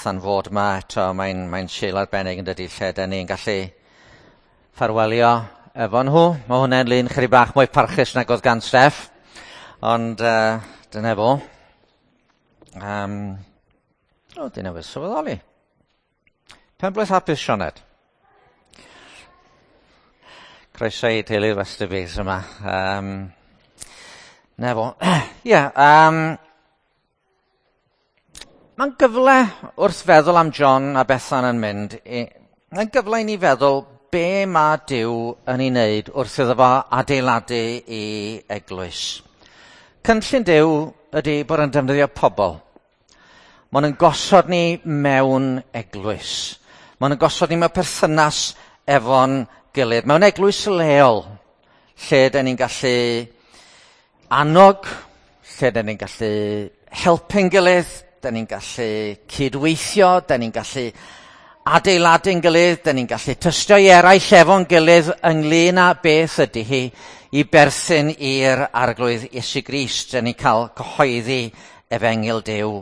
Bethan fod yma eto. Mae'n Sul arbennig yn dydi, lle da ni'n gallu ffarwelio efo nhw. Mae hwnna'n lun chydig bach mwy parchus nag oedd gan Steff, ond dyna fo. O, dwi newydd sylweddoli. Penblwydd hapus, Sioned. Croeso i teulu Westerbies yma. Na fo. Ie, mae'n gyfle wrth feddwl am John a Bethan yn mynd, mae'n gyfle i ni feddwl be mae Duw yn ei wneud wrth iddo fo adeiladu i eglwys. Cynllun Duw ydy bod yn defnyddio pobl. Maen nhw'n gosod ni mewn eglwys. Maen nhw'n gosod ni mewn perthynas efo'n gilydd. Mewn eglwys leol, lle da ni'n gallu annog, lle da ni'n gallu helpu'n gilydd, da ni'n gallu cydweithio, da ni'n gallu adeiladu'n gilydd, da ni'n gallu tystio i eraill efo'n gilydd ynglyn â beth ydy hi i berthyn i'r Arglwydd Iesu Grist. Da ni'n cael cyhoeddi efengyl Duw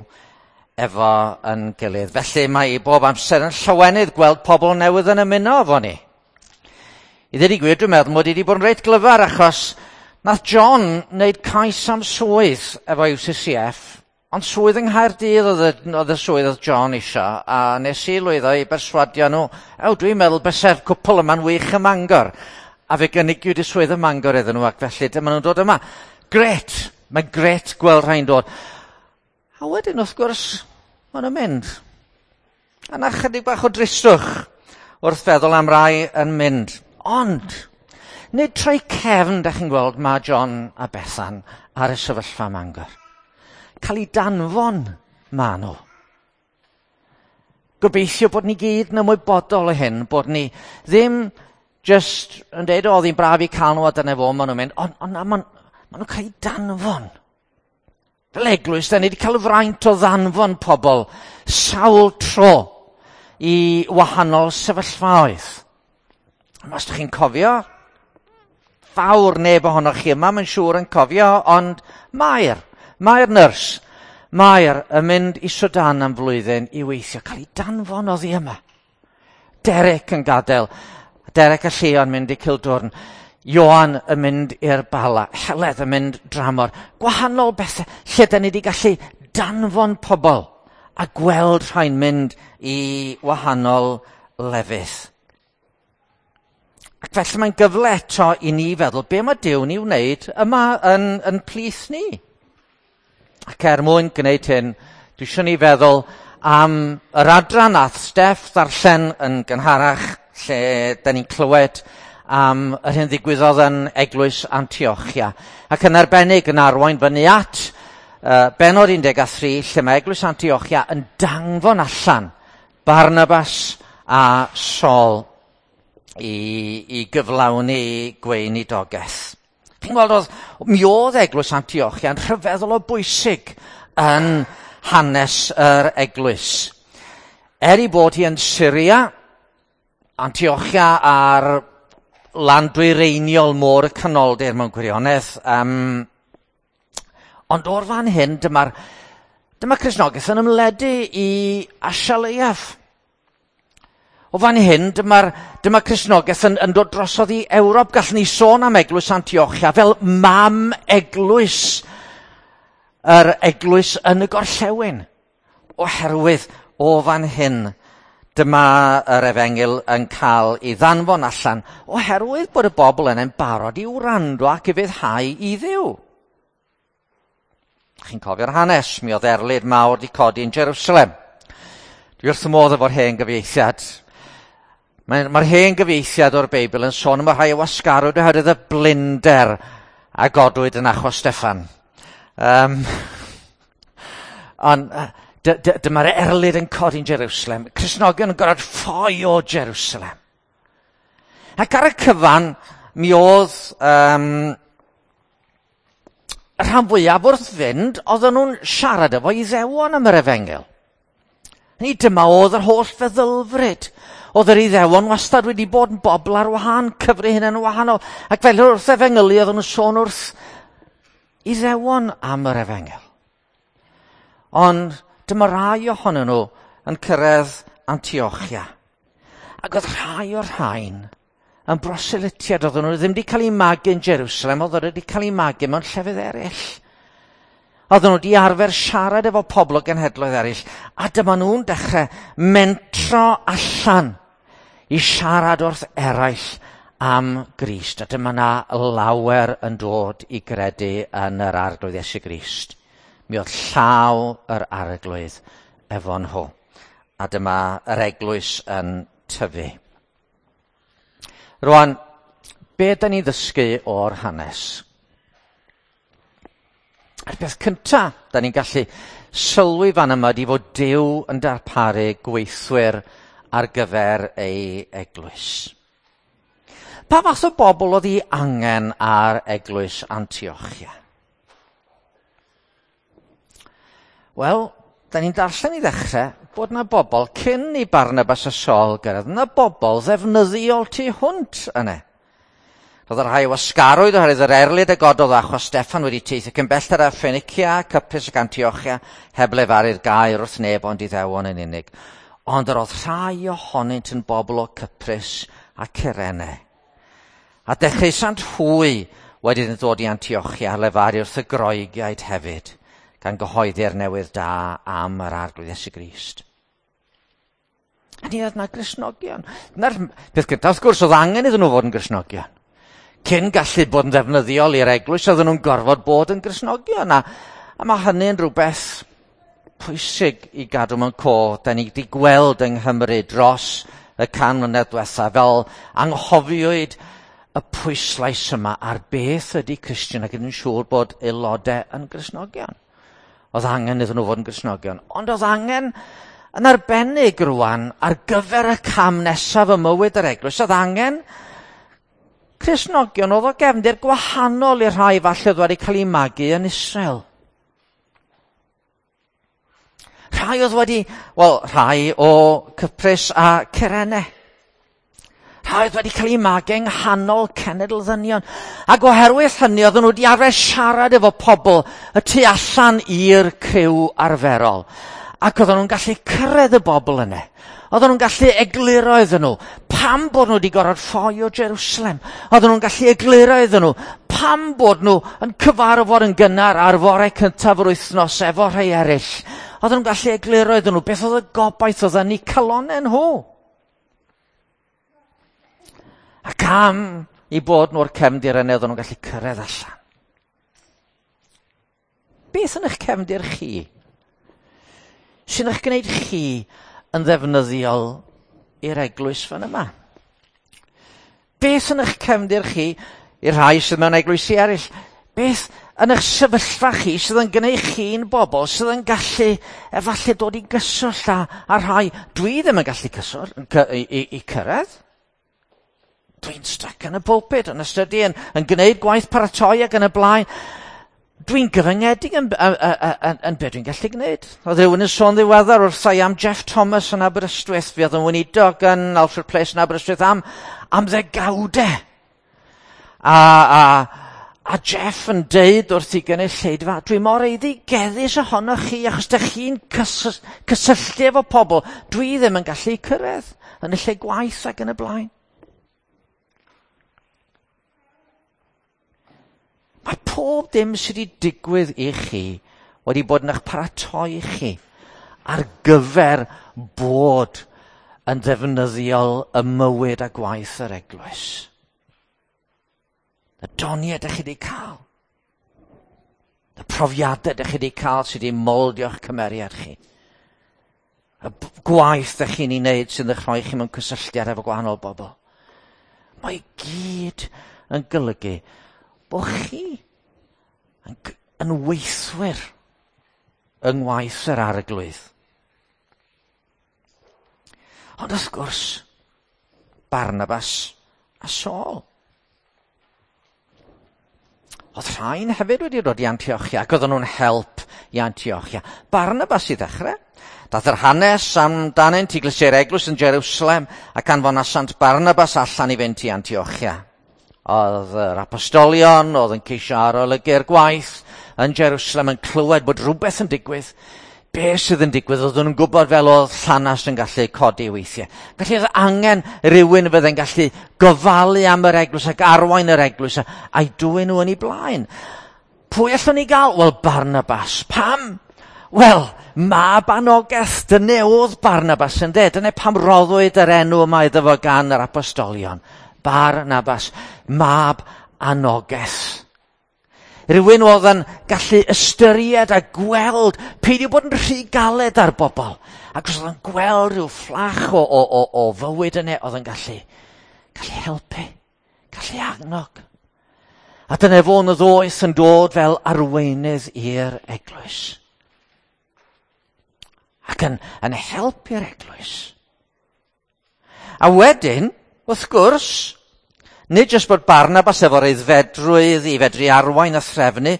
efo yn gilydd. Felly mae i bob amser yn llawenydd gweld pobl newydd yn ymuno efo ni. I ddweud y gwir, dwi'n meddwl mod i wedi bod yn reit glyfar achos nath John wneud cais am swydd efo UCCF, ond swydd yng Nghaerdydd oedd y swydd oedd John isio, a nes i lwyddo i berswadio nhw, ew, dwi'n meddwl byse'r cwpl yma'n wych ym Mangor. A fe gynigiwyd y swydd ym Mangor iddyn nhw, ac felly dyma nhw'n dod yma. Gret! Mae'n gret gweld rhai'n dod. A wedyn, wrth gwrs, maen nhw'n mynd. A na chydig bach o dristwch wrth feddwl am rai yn mynd. Ond, nid troi cefn, da chi'n gweld, mae John a Bethan ar y sefyllfa Mangor. Cael ei danfon ma nhw. Gobeithio bod ni gyd yn ymwybodol o hyn, bod ni ddim just yn deud, o, oedd hi'n braf i cael nhw a dyna fo, maen nhw'n mynd, ond on, maen nhw'n cael ei danfon. Fel eglwys, da ni wedi cael y fraint o ddanfon pobl sawl tro i wahanol sefyllfaoedd. Os ydych chi'n cofio, fawr neb ohonoch chi yma, mae'n siŵr yn cofio, ond Mae'r nyrs, Mair yn mynd i Sudan am flwyddyn i weithio, cael ei danfon oddi yma. Derek yn gadael, Derek a Llion mynd i Cildwrn, Ioan yn mynd i'r Bala, Heledd yn mynd dramor. Gwahanol bethau lle da ni wedi gallu danfon pobl a gweld rhai'n mynd i wahanol lefydd. Ac felly mae'n gyfle eto i ni feddwl be mae Duw ni wneud yma yn plith ni. Ac er mwyn gwneud hyn, dwi eisiau ni feddwl am yr adran nath Steff ddarllen yn gynharach, lle da ni'n clywed am yr hyn ddigwyddodd yn eglwys Antiochia. Ac yn arbennig yn arwain fyny at bennod 13, lle mae eglwys Antiochia yn danfon allan Barnabas a Saul i gyflawni gweinidogaeth. Chi'n gweld, mi oedd eglwys Antiochia yn rhyfeddol o bwysig yn hanes yr eglwys. Er ei bod hi yn Syria, Antiochia ar lan dwyreiniol môr y Canoldir mewn gwirionedd, ond o'r fan hyn, dyma Cristnogaeth yn ymledu i Asia Leiaf. O fan hyn, dyma Cristnogaeth yn dod drosodd i Ewrop. Gallwn ni sôn am eglwys Antiochia fel mam eglwys, yr eglwys yn y gorllewin. Oherwydd o fan hyn, dyma yr efengyl yn cael ei ddanfon allan, oherwydd bod y bobl yna'n barod i wrando ac i fyddhau i Dduw. Chi'n cofio'r hanes, mi oedd erlid mawr wedi codi yn Jerusalem. Dwi wrth y modd efo'r hen gyfieithiad. Mae'r hen gyfieithiad o'r Beibl yn sôn am y rhai o wasgarwyd oherwydd y blinder a godwyd yn achos Steffan. Ond dyma'r erlid yn codi'n Jerusalem. Cristnogion yn gorfod ffoi o Jerusalem. Ac ar y cyfan, mi oedd y rhan fwyaf wrth fynd, oedden nhw'n siarad efo Iddewon am yr efengyl. Ni dyma oedd yr holl feddylfryd. Oedd yr Iddewon wastad wedi bod yn bobl ar wahân, cyfri hynny'n wahanol. Ac felly wrth efengylu oedden nhw'n sôn wrth Iddewon am yr efengyl. Ond dyma rai ohonyn nhw yn cyrraedd Antiochia. Ac oedd rhai o'r rhain yn broselytiad, oedden nhw ddim wedi cael eu magu yn Jerusalem, oedden nhw wedi cael eu magu mewn llefydd eraill. Oedden nhw wedi arfer siarad efo pobl o genhedloedd eraill, a dyma nhw'n dechrau mentro allan i siarad wrth eraill am Grist. A dyma na lawer yn dod i gredu yn yr Arglwydd Iesu Grist. Mi oedd llaw yr Arglwydd efo nhw. A dyma yr eglwys yn tyfu. Rwan, be da ni ddysgu o'r hanes? A'r peth cynta da ni'n gallu sylwi fan yma ydi fod Duw yn darparu gweithwyr ar gyfer ei eglwys. Pa fath o bobl oedd ei angen ar eglwys Antiochia? Wel, da ni'n darllen i ddechrau bod na bobl cyn i Barnabas a Saul gyrraedd, na bobl ddefnyddiol tu hwnt yna. Roedd y rhai wasgarwyd oherwydd yr erlid y gododd achos Steffan wedi teithio cyn belled â Ffenicia, Cyprus ac Antiochia, heb lefaru'r gair wrth neb ond Iddewon yn unig. Ond yr oedd rhai ohonynt yn bobl o Cyprus a Cyrene. A dechreusant hwy wedi ddod i Antiochia a lefaru wrth y Groegiaid hefyd, gan gyhoeddi'r newydd da am yr Arglwydd Iesu Grist. A ni oedd na Gristnogion. Na'r peth gyntaf, wrth gwrs, oedd angen iddyn nhw fod yn Gristnogion. Cyn gallu bod yn ddefnyddiol i'r eglwys, oedden nhw'n gorfod bod yn Gristnogion. A mae hynny'n rhywbeth pwysig i gadw mewn cof. Da ni wedi gweld yng Nghymru dros y 100 mlynedd diwetha, fel anghofiwyd y pwyslais yma ar beth ydy Cristion, ac yn siŵr bod aelodau yn Gristnogion. Oedd angen iddyn nhw fod yn Gristnogion. Ond oedd angen yn arbennig rwan ar gyfer y cam nesaf ym mywyd yr eglwys. Oedd angen Cristnogion oedd o gefndir gwahanol i'r rhai falle oedd wedi cael eu magu yn Israel. Rhai oedd wedi, wel, rhai o Cyprus a Cyrene. Rhai oedd wedi cael eu magu yng nghanol cenedl ddynion. Ac oherwydd hynny, oedden nhw wedi arfer siarad efo pobl y tu allan i'r criw arferol. Ac oedden nhw'n gallu cyrraedd y bobl yna. Oedden nhw'n gallu egluro iddyn nhw pam bod nhw wedi gorfod ffoi o Jerusalem. Oedden nhw'n gallu egluro iddyn nhw pam bod nhw yn cyfarfod yn gynnar ar fore cyntaf yr wythnos efo rhai eraill. Oedden nhw'n gallu egluro iddyn nhw beth oedd y gobaith oedd yn eu calonnau nhw. Ac am i bod nhw'r cefndir yna, oedden nhw'n gallu cyrraedd allan. Beth yn eich cefndir chi? Sy'n eich gwneud chi yn ddefnyddiol i'r eglwys fan yma? Beth yn eich cefndir chi i'r rhai sydd mewn eglwysi eraill? Beth yn eich sefyllfa chi sydd yn gwneud chi'n bobl sydd yn gallu efallai dod i gyswllt â rhai dwi ddim yn gallu cyswllt i cyrraedd? Dwi'n stuck yn y pulpit, yn ystydu, yn gwneud gwaith paratoi ac yn y blaen. Dwi'n gyfyngedig yn be dwi'n gallu gwneud. Oedd rhywun yn sôn ddiweddar wrtha i am Jeff Thomas yn Aberystwyth. Fi oedd yn weinidog yn Alfred Place yn Aberystwyth am ddegawdau. A Jeff yn deud wrth i gynulleidfa, dwi mor eiddigeddus ohonoch chi achos dych chi'n cysylltu efo pobl. Dwi ddim yn gallu cyrraedd yn y lle gwaith ac yn y blaen. Mae pob dim sydd wedi digwydd i chi wedi bod yn eich paratoi chi ar gyfer bod yn ddefnyddiol y mywyd a gwaith yr eglwys. Y doniau ydych chi wedi cael. Y profiadau ydych chi wedi cael sydd wedi moldio'ch cymeriad chi. Y gwaith ydych chi'n ei wneud sydd yn eich rhoi chi mewn cysylltiad efo gwahanol bobl. Mae gyd yn golygu bod chi yn weithwyr yng ngwaith yr Arglwydd. Ond wrth gwrs, Barnabas a Saul. Oedd rhain hefyd wedi dod i Antiochia, ac oedden nhw'n help i Antiochia. Barnabas i ddechrau. Dath yr hanes amdanynt i glysiau'r eglwys yn Jerusalem ac anfonasant Barnabas allan i fynd i Antiochia. Oedd yr apostolion, oedd yn ceisio arolygu'r gwaith yn Jerusalem yn clywed bod rhywbeth yn digwydd. Be sydd yn digwydd? Oedden nhw'n gwybod fel oedd llanast yn gallu codi weithiau. Felly oedd angen rhywun fydde'n gallu gofalu am yr eglwys ac arwain yr eglwys a'i dwyn nhw yn ei blaen. Pwy allwn ni gael? Wel, Barnabas. Pam? Wel, mab anogaeth, dyna oedd Barnabas yn de. Dyna pam roddwyd yr enw yma iddo fo gan yr apostolion. Barnabas, mab anogaeth. Rhywun oedd yn gallu ystyried a gweld, peidio bod yn rhy galed ar bobl. Ac os oedd yn gweld rhyw fflach o fywyd yna, oedd yn gallu helpu, gallu annog. A dyna fo'n y ddoeth yn dod fel arweinydd i'r eglwys. Ac yn helpu'r eglwys. A wedyn, wrth gwrs, nid jyst bod Barnabas efo'r aeddfedrwydd i fedru arwain a threfnu,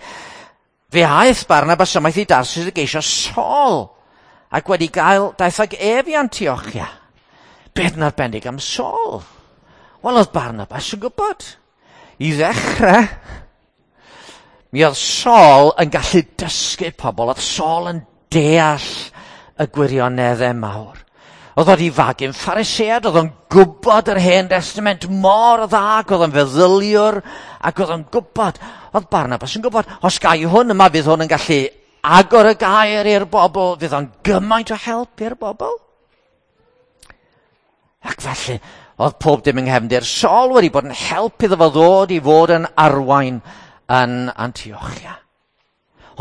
fe aeth Barnabas ymaith i Darsus i geisio Saul, ac wedi gael daeth ag ef i Antiochia. Beth yn arbennig am Saul? Wel, oedd Barnabas yn gwybod. I ddechrau, mi oedd Saul yn gallu dysgu pobl, oedd Saul yn deall y gwirioneddau mawr. Oedd wedi fagu'n Pharisead, oedd o'n gwybod yr Hen Testament mor dda, ac oedd o'n feddyliwr, ac oedd o'n gwybod, oedd Barnabas yn gwybod, os gai hwn yma, fydd hwn yn gallu agor y gair i'r bobl, fydd o'n gymaint o help i'r bobl. Ac felly, oedd pob dim yng nghefndir Saul wedi bod yn help iddo fo ddod i fod yn arwain yn Antiochia.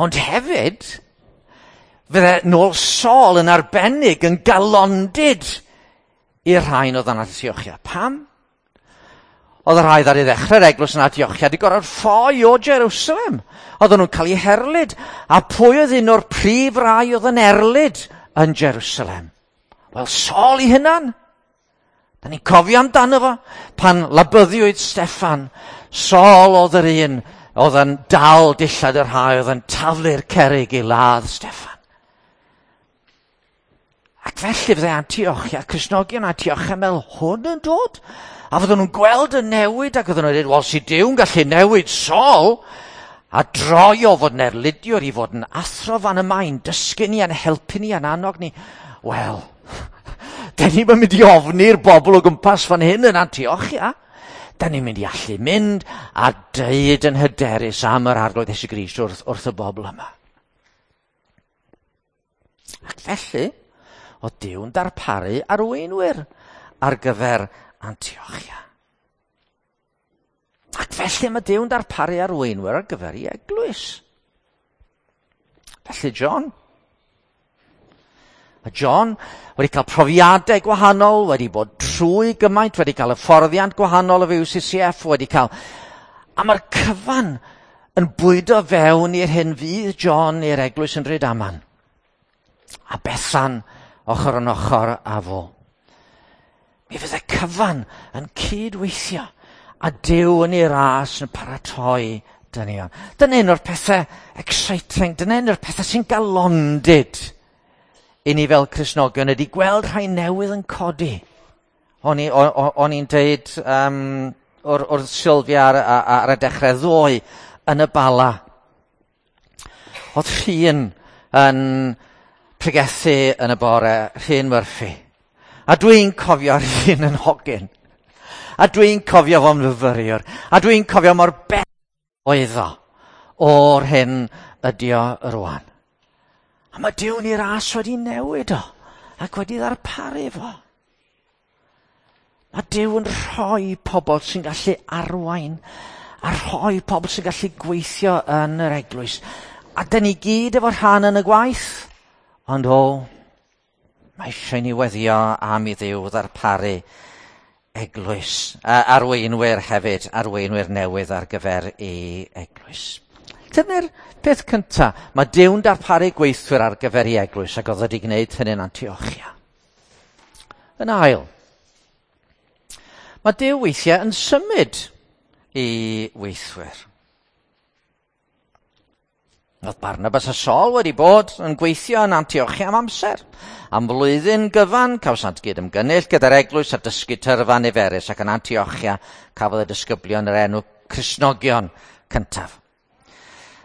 Ond hefyd, fydde nôl Saul yn arbennig yn galondid i'r rhain oedd yn Antiochia. Pam? Oedd y rhai ar ei ddechrau'r eglwys yn Antiochia wedi gorfod ffoi o Jerusalem. Oedden nhw'n cael eu herlid. A pwy oedd un o'r prif rai oedd yn erlid yn Jerusalem? Wel, Saul ei hunan. Da ni'n cofio amdano fo. Pan labyddiwyd Steffan, Saul oedd yr un oedd yn dal dillad y rhai oedd yn taflu'r cerrig i ladd Steffan. Ac felly fydde Antiochia, Cristnogion Antiochia meddwl, hwn yn dod? A fydden nhw'n gweld y newid ac oedden nhw'n dweud, wel, si Duw'n gallu newid Saul, a droi o fod yn erlidiwr i fod yn athro fan yma, i'n dysgu ni, a'n helpu ni, a'n annog ni. Wel, da ni'n mynd i ofni'r bobl o gwmpas fan hyn yn Antiochia. Da ni'n mynd i allu mynd a deud yn hyderus am yr Arglwydd Iesu Grist wrth y bobl yma. Ac felly, oedd Duw'n darparu arweinwyr ar gyfer Antiochia. Ac felly mae Duw'n darparu arweinwyr ar gyfer ei eglwys. Felly John. A John wedi cael profiadau gwahanol, wedi bod trwy gymaint, wedi cael hyfforddiant gwahanol o UCCF, wedi cael... A mae'r cyfan yn bwydo fewn i'r hyn fydd John i'r eglwys yn Rhydaman. A Bethan ochr yn ochr â fo. Mi fydd y cyfan yn cydweithio a Duw yn ei ras yn paratoi dynion. Dyna un o'r pethau exciting, dyna un o'r pethau sy'n galondid i ni fel Cristnogion ydy gweld rhai newydd yn codi. O'n i'n deud wrth Sylvia ar y dechrau ddoe yn y Bala. Oedd Rhun yn pregethu yn y bore, Rhun Murphy. A dwi'n cofio Rhun yn hogyn. A dwi'n cofio fo'n fyfyriwr. A dwi'n cofio mor bell oedd o o'r hyn ydi o rwan. A mae Duw yn ei ras wedi newid o ac wedi ddarparu fo. Mae Duw yn rhoi pobl sy'n gallu arwain a rhoi pobl sy'n gallu gweithio yn yr eglwys. A dyn ni gyd efo rhan yn y gwaith. Ond o, mae eisiau ni weddio am i Dduw ddarparu eglwys, arweinwyr hefyd, arweinwyr newydd ar gyfer ei eglwys. Dyna'r peth cyntaf. Mae Duw'n darparu gweithwyr ar gyfer ei eglwys ac oedd wedi gwneud hynny'n Antiochia. Yn ail, mae Duw weithiau yn symud i weithwyr. Oedd Barnabas a Saul wedi bod yn gweithio yn Antiochia am amser. Am flwyddyn gyfan, cawsant gyd ymgynnull gyda'r eglwys a dysgu tyrfa niferus, ac yn Antiochia cafodd y disgyblion yr enw Cristnogion cyntaf.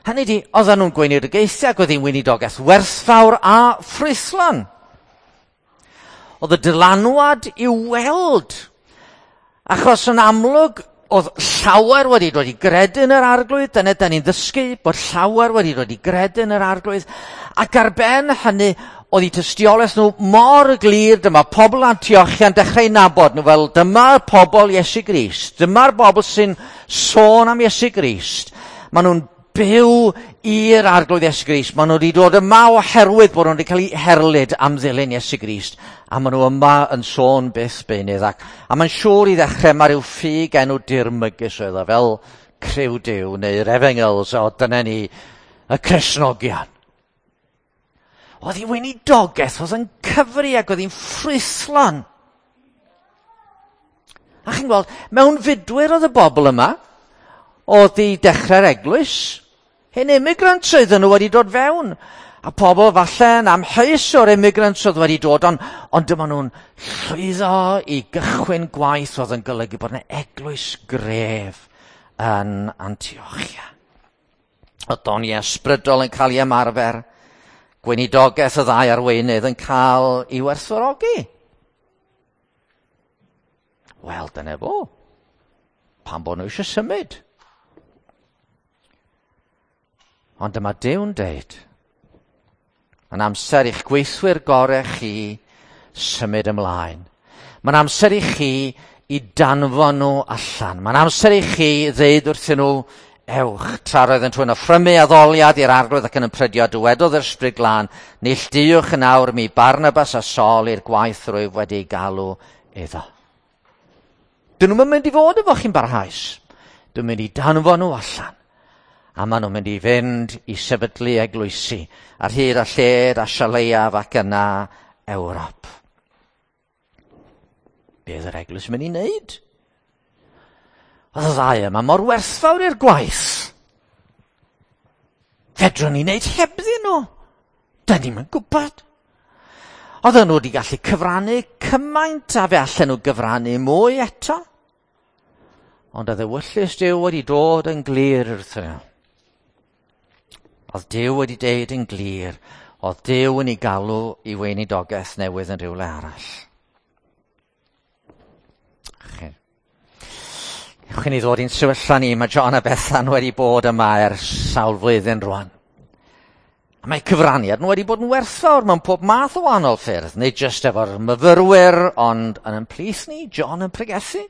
Hynny di, oedden nhw'n gweinidogaethu ac oedd hi'n weinidogaeth werthfawr a ffrwythlon. Oedd y dylanwad i'w weld. Achos yn amlwg, oedd llawer wedi dod i gredu yn yr Arglwydd. Dyna da ni'n ddysgu, bod llawer wedi dod i gredu yn yr Arglwydd. Ac ar ben hynny, oedd eu tystiolaeth nhw mor glir, dyma pobl Antiochia'n dechrau nabod nhw fel dyma'r pobl Iesu Grist, dyma'r bobl sy'n sôn am Iesu Grist. Maen nhw'n byw i'r Arglwydd Iesu Grist. Maen nhw wedi dod yma oherwydd bod nhw wedi cael eu herlid am ddilyn Iesu Grist. A maen nhw yma yn sôn byth beunydd. A mae'n siŵr i ddechrau mae rhyw ffug enw dirmygus oedd o, fel Criw Duw neu'r Efengyls, o dyna ni, y Cristnogion. Oedd hi weinidogaeth, oedd yn cyfri ac oedd hi'n ffrwythlon. A chi'n gweld, mewn fudwyr oedd y bobl yma, oedd i dechrau'r eglwys. Hen immigrants oedden nhw wedi dod fewn. A pobl falle yn amheus o'r immigrants oedd wedi dod, ond dyma nhw'n llwyddo i gychwyn gwaith oedd yn golygu bod yna eglwys gref yn Antiochia. Oedd doniau ysbrydol yn cael ei ymarfer, gweinidogaeth y ddau arweinydd yn cael ei werthfawrogi. Wel, dyna fo. Pam bod nhw eisiau symud? Ond dyma Duw'n deud, mae'n amser i'ch gweithwyr gorau chi symud ymlaen. Mae'n amser i chi i danfon nhw allan. Mae'n amser i chi ddeud wrthyn nhw, ewch. Tra roedd yn twyn offrymu addoliad i'r Arglwydd ac yn ymprydio, dywedodd yr Ysbryd Glân, neilltuwch yn awr mi Barnabas a Saul i'r gwaith rwyf wedi galw iddo. Dyn nhw'n mynd i fod efo chi'n barhaus. Dwi'n mynd i danfon nhw allan. A maen nhw'n mynd i fynd i sefydlu eglwysi ar hyd a lled a Sialeiaf ac yna Ewrop. Be oedd yr eglwys yn mynd i wneud? Oedd y ddau yma mor werthfawr i'r gwaith. Fedrwn ni wneud hebddyn nhw. Da ni'm yn gwybod. Oedden nhw wedi gallu cyfrannu cymaint a fe allan nhw gyfrannu mwy eto. Ond oedd ewyllys Duw wedi dod yn glir wrthyn nhw. Oedd Duw wedi deud yn glir, oedd Duw yn ei galw i weinidogaeth newydd yn rhywle arall. Ewch i ni ddod i'n sefyllfa ni, mae John a Bethan wedi bod yma ers sawl flwyddyn rwan. A mae cyfraniad nhw wedi bod yn werthfawr mewn pob math o wahanol ffyrdd, nid jyst efo'r myfyrwyr, ond yn ymplith ni, John yn pregethu.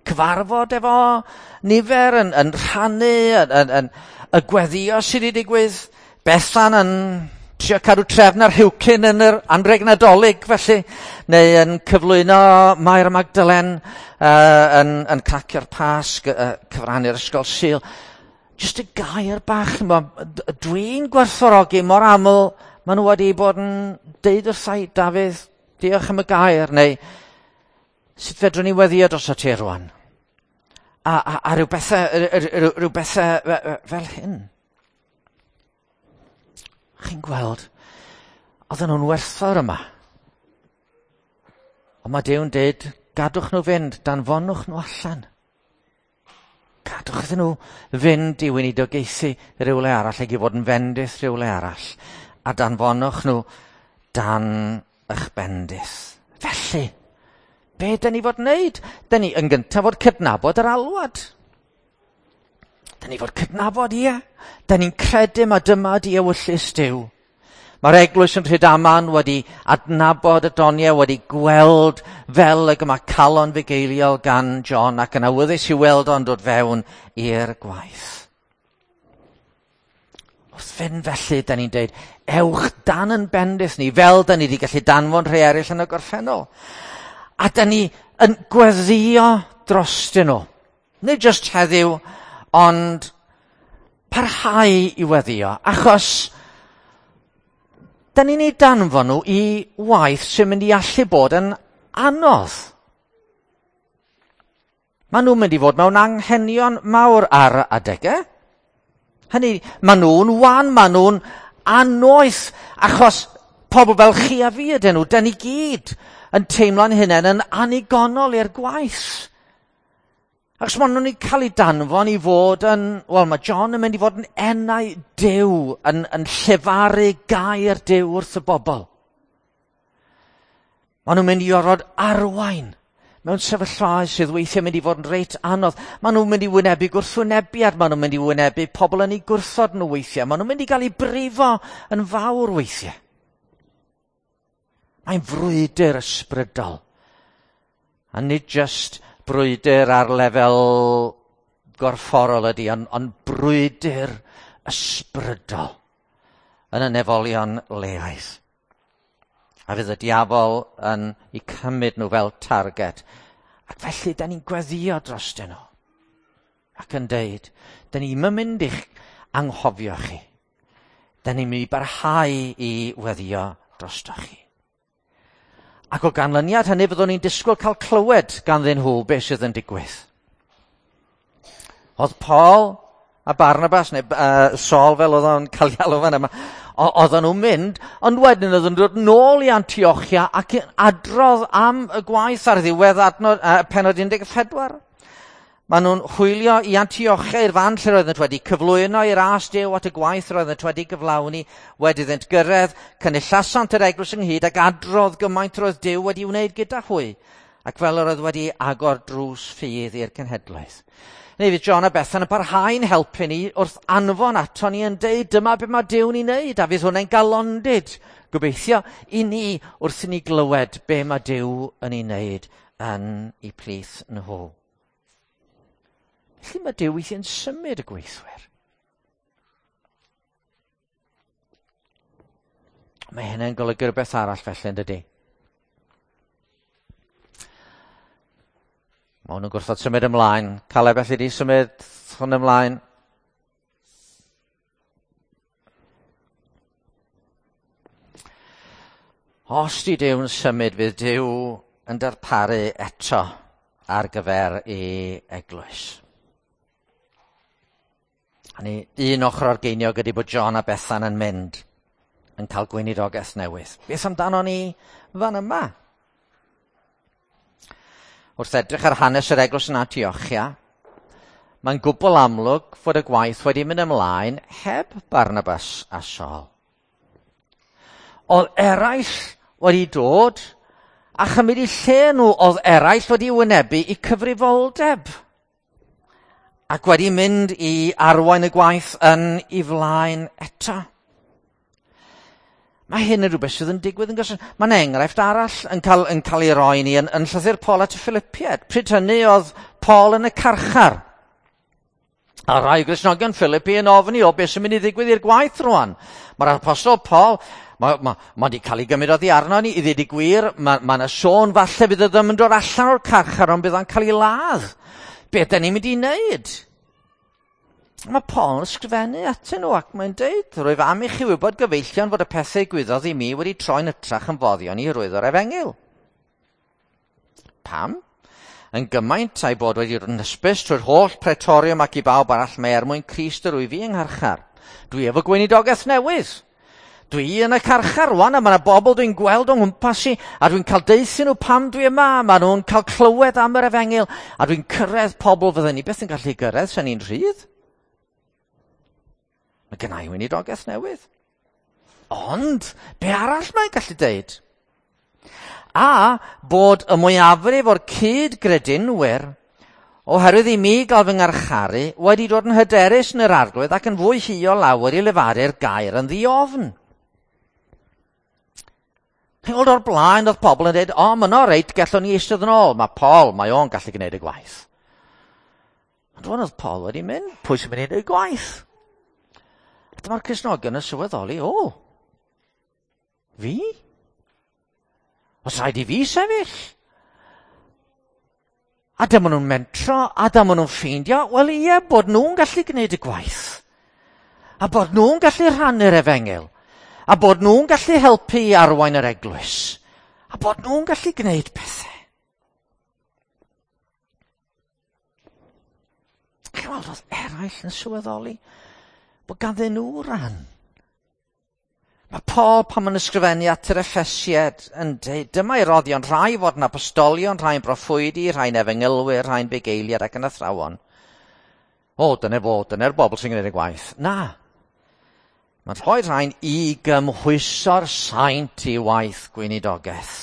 Cyfarfod efo nifer yn rhannu, yn y gweddio sydd wedi digwydd. Bethan yn trio cadw trefn ar Rhiwcyn yn yr anrheg Nadolig, felly, neu yn cyflwyno Mair Magdalen, yn cracio'r Pasg, cyfrannu'r Ysgol Sul. Jyst y gair bach yma, dwi'n gwerthfawrogi mor aml, maen nhw wedi bod yn deud wrtha i, Dafydd, diolch am y gair, neu sut fedrwn ni weddio dros y ti rwan? A rhyw bethau fel hyn. Chi'n gweld, oedden nhw'n werthfawr yma. Ond mae Duw'n deud, gadwch nhw fynd, danfonwch nhw allan. Gadwch iddyn nhw fynd i weinidogaethu rhywle arall ac i fod yn fendith rhywle arall. A danfonwch nhw dan eich bendith. Felly, be dyn ni fod wneud? Dyn ni yn gyntaf fod cydnabod yr alwad. Dyn ni fod cydnabod, ie. Dyn ni'n credu mae dyma di ewyllys Duw. Mae'r eglwys yn Rhydaman wedi adnabod y doniau, wedi gweld fel ag yma calon fugeiliol gan John ac yn awyddus i weld o'n dod fewn i'r gwaith. Wrth fynd felly, da ni'n deud, ewch dan yn bendith ni, fel da ni wedi gallu danfon rhai eraill yn y gorffennol. A da ni yn gweddio drostyn nhw. Nid jyst heddiw, ond parhau i weddio, achos da ni'n ei danfon nhw i waith sy'n mynd i allu bod yn anodd. Maen nhw'n mynd i fod mewn anghenion mawr ar adegau. Hynny, maen nhw'n wan, maen nhw'n annoeth, achos pobl fel chi a fi ydyn nhw, da ni gyd yn teimlo'n hunain yn anigonol i'r gwaith. Ac maen nhw'n cael eu danfon i fod yn, wel, mae John yn mynd i fod yn enau Duw, yn llefaru gair Duw wrth y bobl. Maen nhw'n mynd i orfod arwain mewn sefyllfaoedd sydd weithiau mynd i fod yn reit anodd. Maen nhw'n mynd i wynebu gwrthwynebiad, maen nhw'n mynd i wynebu pobl yn eu gwrthod nhw weithiau, maen nhw'n mynd i gael eu brifo yn fawr weithiau. Mae'n frwydr ysbrydol. A nid jyst brwydr ar lefel gorfforol ydy, ond brwydr ysbrydol yn y nefolion leaidd. A fydd y diafol yn eu cymryd nhw fel target. Ac felly, da ni'n gweddio drostyn nhw. Ac yn deud, da ni'n mynd i'ch anghofio chi. Da ni'n mynd i barhau i weddio drosto chi. Ac o ganlyniad hynny fyddwn ni'n disgwyl cael clywed ganddyn nhw beth sydd yn digwydd. Oedd Paul a Barnabas, neu Saul fel oedd o'n cael ei alw fan yma, oedden nhw'n mynd, ond wedyn oedden nhw'n dod nôl i Antiochia ac adrodd am y gwaith ar ddiwedd adnod, pennod 14. Maen nhw'n hwylio i Antiochia i'r fan lle roeddent wedi cyflwyno i'r as Duw at y gwaith roeddent wedi gyflawni, wedi iddynt gyrraedd, cynullasant yr eglwys ynghyd ac adrodd gymaint roedd Duw wedi wneud gyda hwy, ac fel yr oedd wedi agor drws ffydd i'r cenhedloedd. Neu fydd John a Bethan yn parhau'n helpu ni wrth anfon ato ni yn deud dyma beth mae Duw'n ei wneud, a fydd hwnna'n galondid, gobeithio, i ni wrth i ni glywed be mae Duw yn ei wneud yn eu plith nhw. Felly mae Duw weithiau'n symud y gweithwyr. Mae hynny'n golygu rhywbeth arall felly, yn dydy? Mae hwn yn gwrthod symud ymlaen. Caleb, felly di symud hwn ymlaen. Os di Duw'n symud, fydd Duw yn darparu eto ar gyfer ei eglwys. A ni, un ochr o'r geiniog ydy bod John a Bethan yn mynd yn cael gweinidogaeth newydd. Beth amdano ni fan yma? Wrth edrych ar hanes yr eglwys yn Antiochia, mae'n gwbl amlwg fod y gwaith wedi mynd ymlaen heb Barnabas a Saul. Oedd eraill wedi dod a chymryd eu lle nhw, oedd eraill wedi wynebu eu cyfrifoldeb ac wedi mynd i arwain y gwaith yn ei flaen eto. Mae hyn yn rhywbeth sydd yn digwydd yn gyson. Mae'n enghraifft arall yn cael ei roi ni yn llythyr Paul at y Philippiaid. Pryd hynny oedd Paul yn y carchar. A rai Gristnogion Philippi yn ofni o beth sy'n mynd i ddigwydd i'r gwaith rwan. Mae'r apostol Paul, mae wedi cael ei gymryd oddi arno ni, i ddweud y gwir, mae yna sôn falle bydd o ddim yn dod allan o'r carchar, ond bydd o'n cael ei ladd. Be da ni'n mynd i wneud? Mae Paul yn ysgrifennu atyn nhw ac mae'n deud, rwyf am i chi wybod gyfeillion fod y pethau gwyddodd i mi wedi troi'n hytrach yn foddion i hyrwyddo'r efengyl. Pam? Yn gymaint a'i bod wedi dod yn hysbys trwy'r holl pretorium ac i bawb arall mae er mwyn Crist yr wyf fi yng ngharchar. Dwi efo gweinidogaeth newydd. Dwi yn y carchar rwan a mae yna bobl dwi'n gweld o'n nghwmpas i a dwi'n cael deuthu nhw pam dwi yma. Maen nhw'n cael clywed am yr efengyl a dwi'n cyrraedd pobl fydden ni beth yn gallu gyrraedd sa'n ni'n rhydd. Mae gynna i weinidogaeth newydd. Ond, be arall mae'n gallu deud? A bod y mwyafrif o'r cyd-gredinwyr, oherwydd i mi gael fy ngharcharu, wedi dod yn hyderus yn yr arglwydd ac yn fwy huo lawer i lefaru'r gair yn ddiofn. Chi'n gweld o'r blaen oedd pobl yn dweud, o, mae yno reit, gallwn ni eistedd yn ôl. Mae Paul, mae o'n gallu gwneud y gwaith. Ond rwan oedd Paul wedi mynd, pwy sy'n mynd i wneud y gwaith? A dyma'r Cristnogion yn sylweddoli, o, fi? Os rhaid i fi sefyll? A dyma nhw'n mentro, a dyma nhw'n ffeindio, wel ie, bod nhw'n gallu gwneud y gwaith. A bod nhw'n gallu rhannu'r efengyl. A bod nhw'n gallu helpu i arwain yr eglwys. A bod nhw'n gallu gwneud pethau. Chi'n weld, oedd eraill yn sylweddoli bod ganddyn nhw ran. Mae Paul pan mae'n ysgrifennu at yr Effesiaid yn dweud, dyma ei roddion rhai fod yn apostolion, rhai'n broffwydi, rhai'n efengylwyr, rhai'n bugeiliad ac yn athrawon. O, dyna fo, dyna'r bobl sy'n gwneud y gwaith. Na. Mae'n rhoi rhain i gymhwyso'r saint i waith gweinidogaeth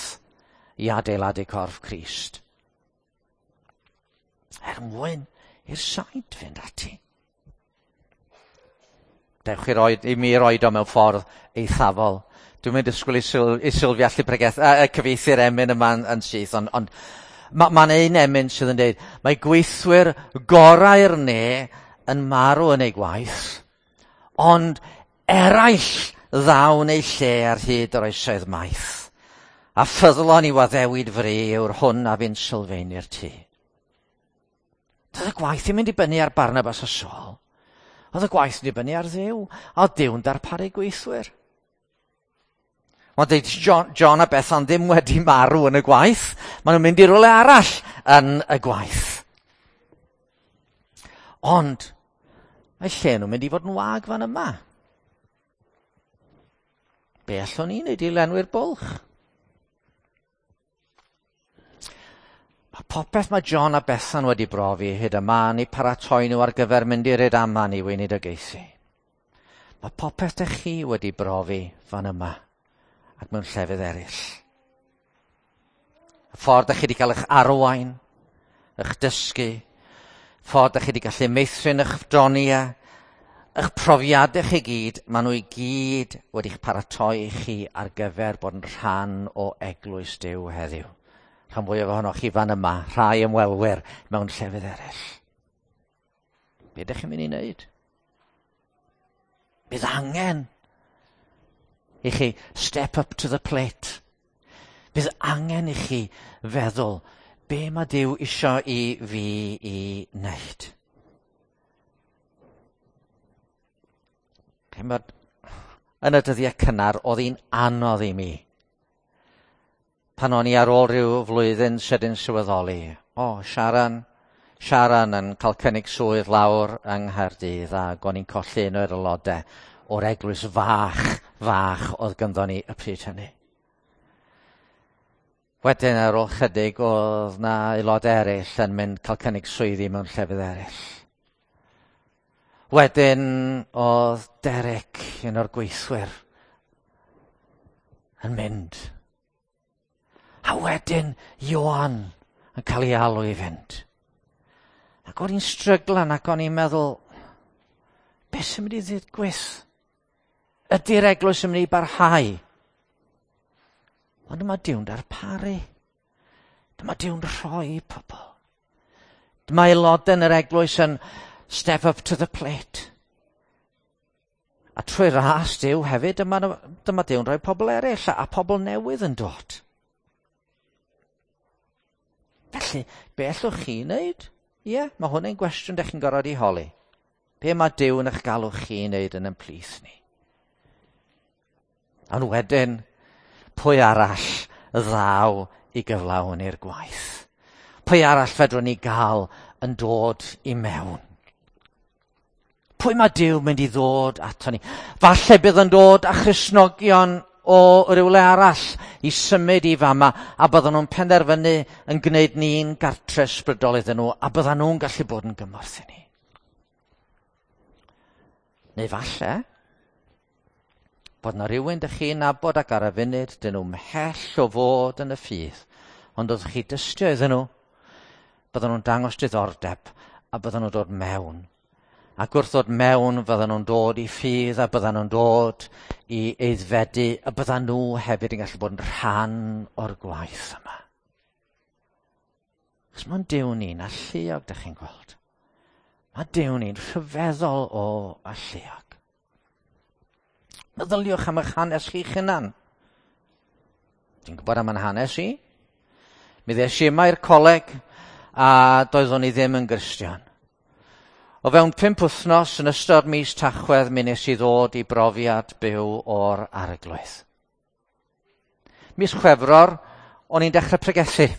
i adeiladu corff Crist. Er mwyn i'r saint fynd ati. Dewch i, roed, i mi roed o mewn ffordd eithafol. Dwi'n mynd disgwyl i, syl, i Sylvia allu pregeth, cyfieithu'r emyn yma yn syth, ond mae'n ma un emyn sydd yn dweud, mae gweithwyr gorau'r ne yn marw yn ei gwaith, ond eraill ddawn eu lle ar hyd yr oesoedd maith. A ffyddlon i waddewid fri yw'r hwn a fu'n sylfaenu'r tŷ. Doedd y gwaith ddim yn dibynnu ar Barnabas a Saul. Oedd y gwaith yn dibynnu ar Dduw, a oedd Duw'n darparu gweithwyr. Mae'n dweud John, John a Bethan ddim wedi marw yn y gwaith. Maen nhw'n mynd i rywle arall yn y gwaith. Ond mae lle nhw'n mynd i fod yn wag fan yma. Be allwn ni wneud i lenwi'r bwlch? Mae popeth mae John a Bethan wedi brofi hyd yma yn eu paratoi nhw ar gyfer mynd i'r Rydaman i weinidogaethu. Mae popeth dych chi wedi brofi fan yma ac mewn llefydd eraill. Y ffordd dych chi wedi cael eich arwain, eich dysgu, ffordd dych chi wedi gallu meithrin eich doniau, eich profiadau chi gyd, maen nhw i gyd wedi'ch paratoi chi ar gyfer bod yn rhan o eglwys Duw heddiw. Rhan fwyaf ohonoch chi fan yma, rhai ymwelwyr mewn llefydd eraill. Be ydych chi'n mynd i wneud? Bydd angen i chi step up to the plate. Bydd angen i chi feddwl be mae Duw isio i fi i wneud. Chimod, yn y dyddiau cynnar, oedd hi'n anodd i mi. Pan o'n i ar ôl rhyw flwyddyn sydyn sylweddoli, o, Sharon yn cael cynnig swydd lawr yng Nghaerdydd ac o'n i'n colli un o'r aelodau o'r eglwys fach, fach oedd ganddo ni y pryd hynny. Wedyn ar ôl chydig oedd na aelodau eraill yn mynd cael cynnig swyddi mewn llefydd eraill. Wedyn oedd Derek, un o'r gweithwyr, yn mynd. A wedyn Ioan yn cael ei alw i fynd. Ac o'n i'n stryglan ac o'n i'n meddwl, beth sy'n mynd i ddigwydd? Ydy'r eglwys yn mynd i barhau? Ond dyma Duw'n darparu. Dyma Duw'n rhoi pobl. Dyma aelodau yn yr eglwys yn step up to the plate. A trwy ras Duw hefyd, dyma Duw'n rhoi pobl eraill a pobl newydd yn dod. Felly, be allwch chi wneud? Ie, mae hwn yn gwestiwn dych chi'n gorfod i holi. Be mae Duw yn eich galw chi wneud yn ein plith ni? Ond wedyn, pwy arall ddaw i gyflawni'r gwaith? Pwy arall fedrwn ni gael yn dod i mewn? Pwy mae Duw mynd i ddod ato ni? Falle bydd yn dod â Christnogion o rywle arall i symud i fama a bydden nhw'n penderfynu yn gwneud ni'n gartre ysbrydol iddyn nhw a bydden nhw'n gallu bod yn gymorth i ni. Neu falle bod na rhywun dych chi'n nabod ac ar y funud dyn nhw mhell o fod yn y ffydd, ond oeddech chi dystio iddyn nhw, bydden nhw'n dangos diddordeb a bydden nhw'n dod mewn. Ac wrth ddod mewn, fydden nhw'n dod i ffydd a bydden nhw'n dod i aeddfedu a bydden nhw hefyd yn gallu bod yn rhan o'r gwaith yma. Chos mae'n Duw ni'n alluog, dych chi'n gweld. Mae Duw ni'n rhyfeddol o alluog. Meddyliwch am eich hanes chi'ch hunan. Dwi'n gwybod am yn hanes i. Mi ddes i yma i'r coleg a doeddwn i ddim yn Gristion. O fewn 5 wythnos yn ystod mis Tachwedd mi nes i ddod i brofiad byw o'r Arglwydd. Mis Chwefror, o'n i'n dechrau pregethu.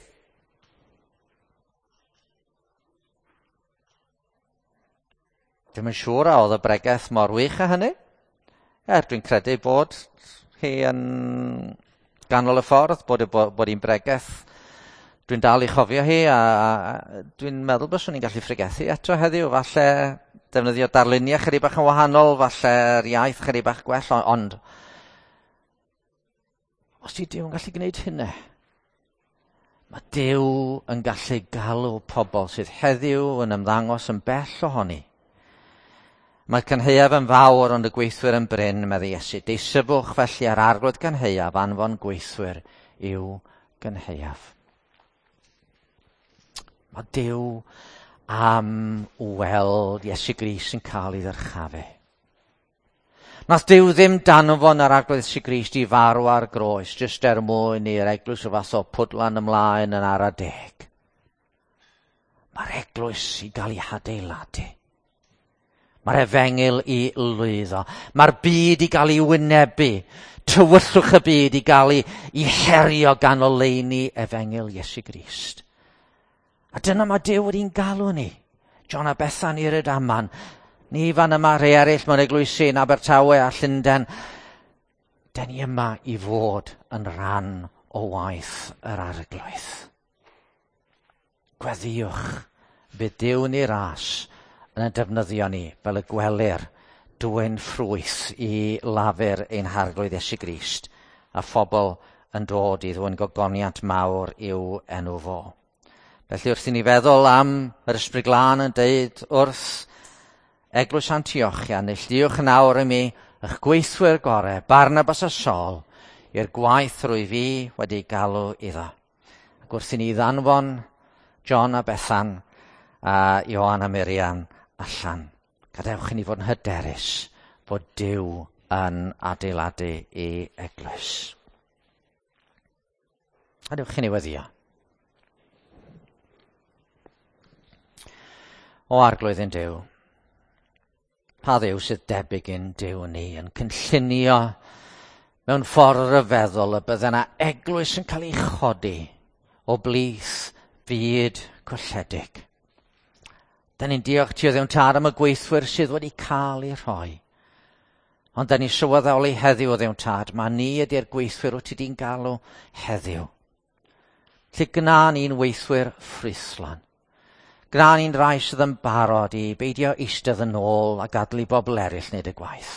Dwi'm yn siŵr a oedd y bregeth mor wych â hynny. Er dwi'n credu bod hi yn ganol y ffordd, bod hi'n bregeth. Dwi'n dal i chofio hi, a dwi'n meddwl byswn i'n gallu phregethu eto heddiw. Falle defnyddio darluniau chydig bach yn wahanol, falle'r iaith chydig bach gwell, ond os di Duw yn gallu gwneud hynna, mae Duw yn gallu galw pobl sydd heddiw yn ymddangos yn bell ohoni. Mae'r cynhaeaf yn fawr, ond y gweithwyr yn brin, meddai Iesu. Deisyfwch felly ar arglwydd gynhaeaf anfon gweithwyr i'w gynhaeaf. Mae Duw am weld Iesu Grist yn cael ei ddyrchafu. Nath Duw ddim danfon yr arglwydd Iesu Grist i farw ar groes, jyst er mwyn i'r eglwys o fath o pwdlan ymlaen yn ara deg. Mae'r eglwys i gael ei hadeiladu. Mae'r efengyl i lwyddo. Mae'r byd i gael ei wynebu. Tywyllwch y byd i gael ei herio gan oleuni efengyl Iesu Grist. A dyna mae Duw wedi'n galw ni. John a Bethan i Rydaman. Ni fan yma, rhai eraill mewn eglwysi yn Abertawe a Llundain. Den ni yma i fod yn rhan o waith yr arglwydd. Gweddïwch, bydd Duw ni ras yn ein defnyddio ni fel y gwelir dwyn ffrwyth i lafur ein harglwydd Iesu Grist a phobl yn dod i ddwyn gogoniant mawr i'w enw fo. Felly wrth i ni feddwl am yr Ysbryd Glân yn deud wrth Eglwys Antiochia, neilltuwch yn awr i mi eich gweithwyr gorau, Barnabas a Saul, i'r gwaith rwy fi wedi galw iddo. Ac wrth i ni ddanfon John a Bethan a Ioan a Miriam allan, gadewch i ni fod yn hyderus bod Duw yn adeiladu ei eglwys. Gadewch i ni weddïo. O arglwydd ein Duw, pa Dduw sydd debyg i'n Duw ni yn cynllunio mewn ffordd ryfeddol y bydde yna eglwys yn cael ei chodi o blith byd colledig. Da ni'n diolch ti o Dduw Tad am y gweithwyr sydd wedi cael eu rhoi. Ond da ni'n sylweddoli heddiw o Dduw Tad, mae ni ydy'r gweithwyr wyt ti di'n galw heddiw. Lle gna ni'n weithwyr ffrwythlon. Gna ni'n rai sydd yn barod i beidio eistedd yn ôl a gadael i bobl eraill wneud y gwaith.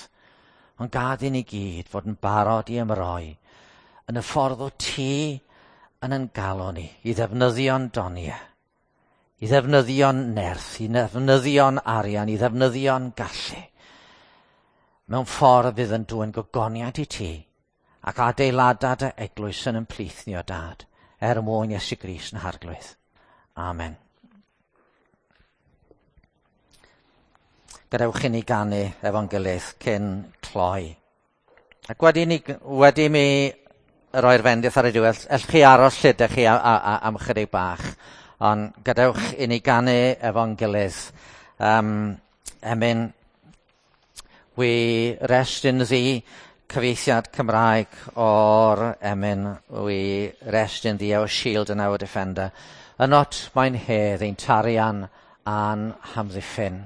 Ond gad i ni gyd fod yn barod i ymroi yn y ffordd o ti yn ein galw ni, i ddefnyddio'n doniau, i ddefnyddio'n nerth, i ddefnyddio'n arian, i ddefnyddio'n gallu. Mewn ffordd fydd yn dwyn gogoniant i ti ac adeilada dy eglwys yn ymplith ni o Dad, er mwyn Iesu Grist yn harglwydd. Amen. Gadewch i ni ganu efo'n gilydd cyn cloi. Ac wedi mi roi'r fendith ar y diwedd, ellwch chi aros lle ydych chi am chydig bach, ond gadewch i ni ganu efo'n gilydd. Emyn, We Rest in Thee, cyfieithiad Cymraeg o'r emyn We Rest in Thee, Our Shield and Our Defender. Ynot mae'n hedd ein tarian a'n hamddiffyn.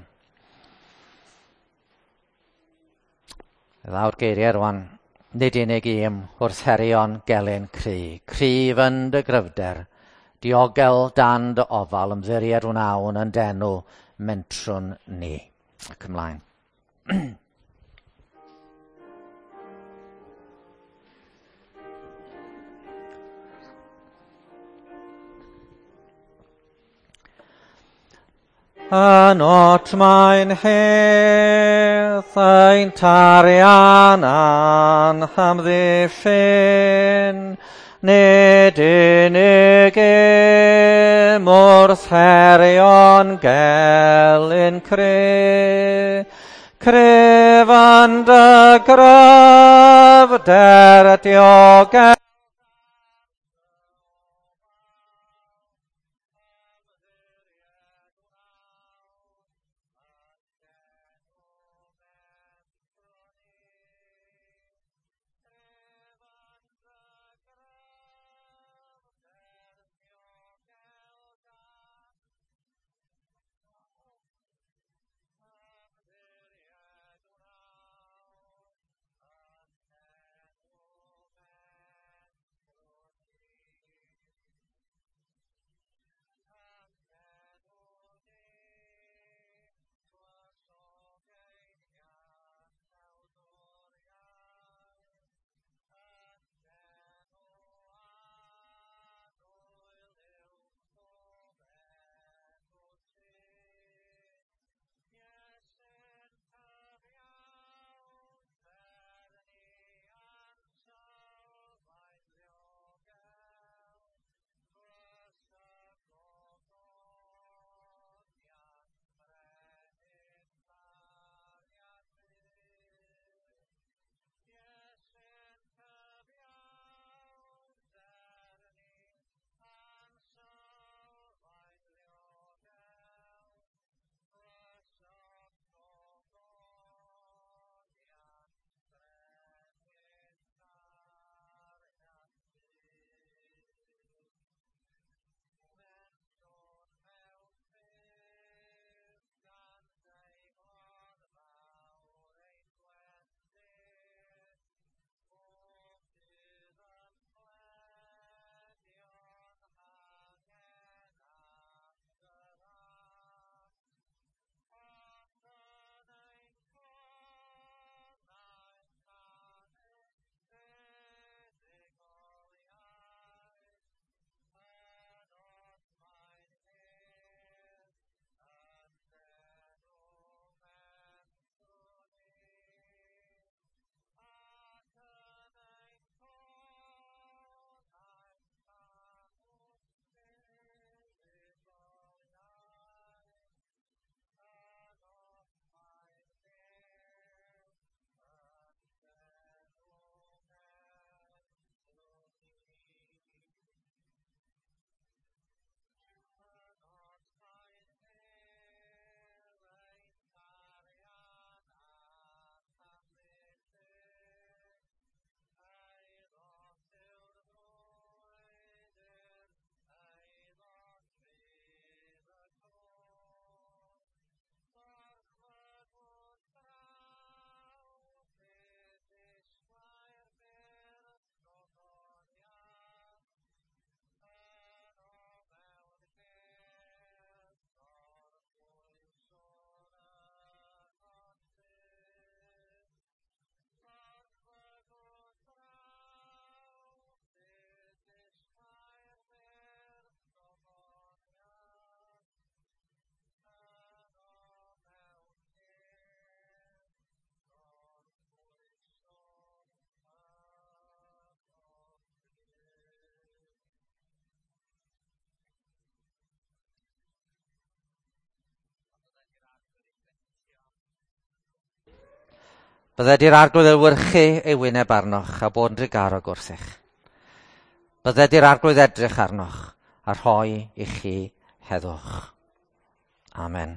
Ddaw'r geiriau rwan, nid unig i'm wrth herion gelyn cry, cryf yn dy gryfder, diogel dan dy ofal, ymddiried wnawn yn denw mentrwn ni. Ac ymlaen. Ynot mae'n hedd ein tarian a'n hamddiffyn, nid unig im wrth herion gelyn cryf, cryf yn dy gryfder diogel. Bydded i'r arglwydd ewyrchu ei wyneb arnoch a bod yn drugarog wrthych. Bydded i'r arglwydd edrych arnoch a rhoi i chi heddwch. Amen.